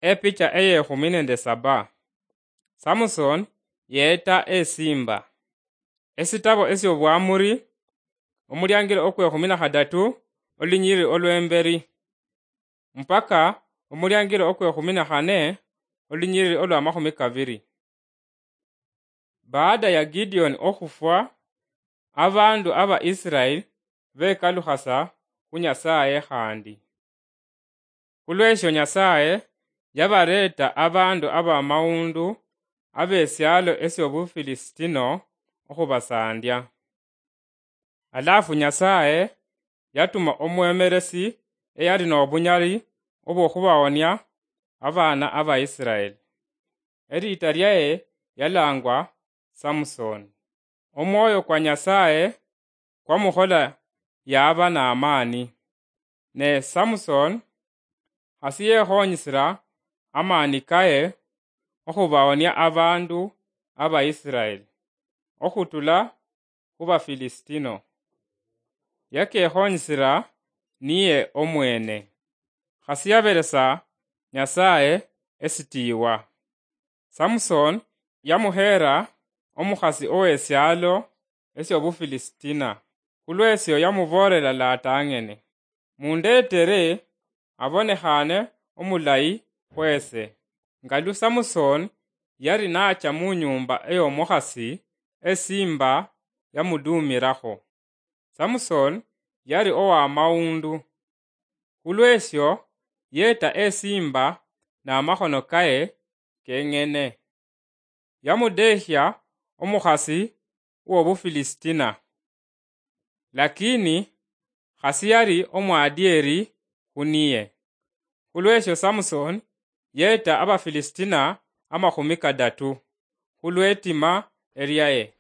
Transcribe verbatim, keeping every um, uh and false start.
Epicha eyekhumi nende saba. Samson yeeta esimba. Esitabo esy'Obwamuri, omuliangiro okwekhumi na khadatu, olunyiriri olw'emberi, mpaka omuliangiro okwekhumi na khane, olunyiriri olw'amakhumi kabiri. Baada ya Gideon okhufwa, abandu aba Israel bekalukhasa khu Nyasaye khandi. Khulwesho Nyasaye yabareeta abandu abamawundu abesialo esy'Obufilisitino okhubasandia. Alafu Nyasaye yatuma omwemeresi eyali nobunyali obwokhubawonia abaana aba Israel. Eliita lyaye yalangwa Samson. Omwoyo kwa Nyasaye kwamukhola yaba n'amaani. Ne Samson khasi yekhonyisira amaani kaye okhubawonia abandu aba Israel okhutula khu Bafilisitino. Yakekhonyisira niye omwene. Khasi yaberesa Nyasaye esitiiwa. Samson yamuheera omukhasi owesialo esy'Obufilisitino. Khulwesyo yamuboolera latang'ene, "Mundeetere abonekhane omulayi khwese." Nga lu Samson yali nacha mu nyumba ey'omukhasi, esimba yamuduumirakho. Samson yali owamawundu. Khulwesyo yeeta esimba n'amakhono kaye keng'ene. Yamudeehya omukhasi w'Obufilisitino. Lakini khasi yali omwadieri khu niye. Khulwesyo Samson yeeta Abafilisitino amakhumi kadatu khulwetima elyaye.